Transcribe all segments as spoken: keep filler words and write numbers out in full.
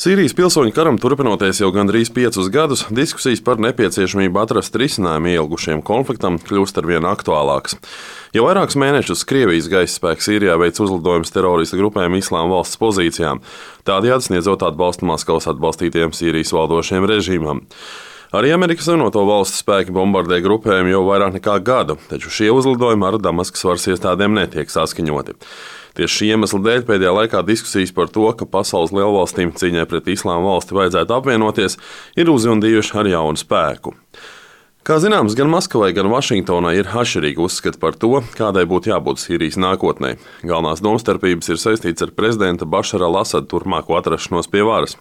Sīrijas pilsoņu karam turpinoties jau gandrīz piecus gadus, diskusijas par nepieciešamību atrast risinājumu ilgušiem konfliktam kļūst arvien aktuālākas. Jau vairākus mēnešus Krievijas gaisa spēki Sīrijā veic uzlidojumus teroristu grupēm Islāma valsts pozīcijām, tādējādi sniedzot atbalstu Maskavas atbalstītiem Sīrijas valdošiem režīmam. Arī Amerikas Savienoto Valstu spēki bombardē grupējumu jau vairāk nekā gadu, taču šie uzlidojumi ar Damaskas varas iestādēm netiek saskaņoti. Tieši šī iemesla dēļ pēdējā laikā diskusijas par to, ka pasaules lielvalstīm cīņai pret Islāma valsti vajadzētu apvienoties, ir uzjundījuši ar jaunu spēku. Kā zināms, gan Maskavai, gan Vašingtonai ir atšķirīgi uzskati par to, kādai būtu jābūt Sīrijas nākotnē. Galvenās domstarpības ir saistītas ar prezidenta Bašara al-Asada turpmāko atrašanos pie varas.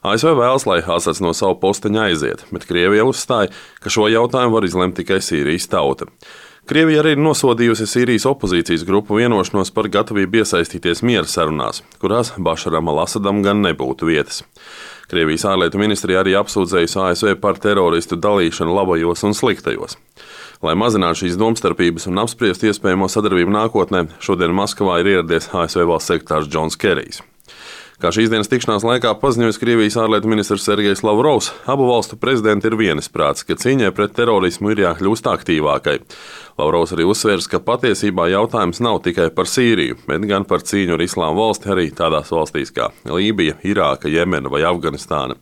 A S V vēlas, lai Asads no savu posteņa aiziet, bet Krievija uzstāja, ka šo jautājumu var izlemt tikai Sīrijas tauta. Krievija arī ir nosodījusi Sīrijas opozīcijas grupu vienošanos par gatavību iesaistīties miera sarunās, kurās Bašaram al-Asadam gan nebūtu vietas. Krievijas ārlietu ministrija arī apsūdzējusi A S V par teroristu dalīšanu labajos un sliktajos. Lai mazinātu šīs domstarpības un apspriestu iespējamo sadarbību nākotnē, šodien Maskavā ir ieradies A S V valsts sekretārs Džons Kerijs. Kā šīs dienas tikšanās laikā paziņojis Krievijas ārlietu ministrs Sergejs Lavrovs, abu valstu prezidenti ir vienisprātis, ka cīņai pret terorismu ir jākļūst aktīvākai. Lavrovs arī uzsvērs, ka patiesībā jautājums nav tikai par Sīriju, bet gan par cīņu ar Islāma valsti arī tādās valstīs kā Lībija, Irāka, Jemena vai Afganistāna.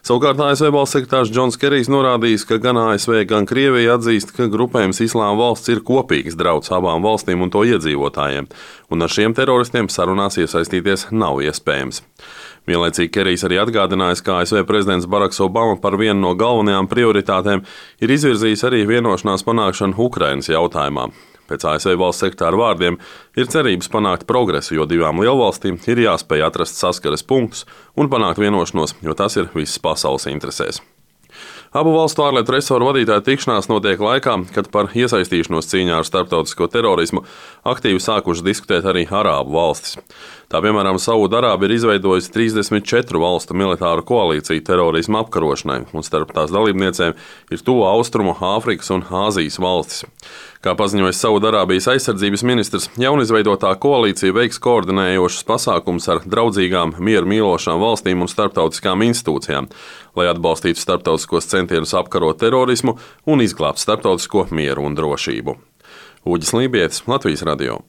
Savukārt A S V valsts sekretārs Džons Kerijs norādījis, ka gan A S V, gan Krievija atzīst, ka grupējums Islāma valsts ir kopīgs drauds abām valstīm un to iedzīvotājiem, un ar šiem teroristiem sarunās iesaistīties nav iespējams. Vienlaicīgi Kerijs arī atgādinājis, ka A S V prezidents Baraks Obama par vienu no galvenajām prioritātēm ir izvirzījis arī vienošanās panākšanu Ukrainas jautājumā. Pēc A S V valsts sekretāra vārdiem ir cerības panākt progresu, jo divām lielvalstīm ir jāspēj atrast saskares punktus un panākt vienošanos, jo tas ir visas pasaules interesēs. Abu valstu ārlietu resoru vadītāju tikšanās notiek laikā, kad par iesaistīšanos cīņā ar starptautisko terorismu aktīvi sākušas diskutēt arī Arābu valstis. Tā piemēram, Saūda-Arābija ir izveidojusi trīsdesmit četru valstu militāru koalīciju terorisma apkarošanai, un starp tās dalībniecēm ir Tuvu Austrumu, Āfrikas un Āzijas valstis. Kā paziņojis Saūda-Arābijas aizsardzības ministrs, jaunizveidotā koalīcija veiks koordinējošus pasākumus ar draudzīgām, mieru mīlošām valstīm un starptautiskām institūcijām, lai atbalstītu starptautiskos centienus apkarot terorismu un izglābt starptautisko mieru un drošību. Uģis Lībietis, Latvijas radio.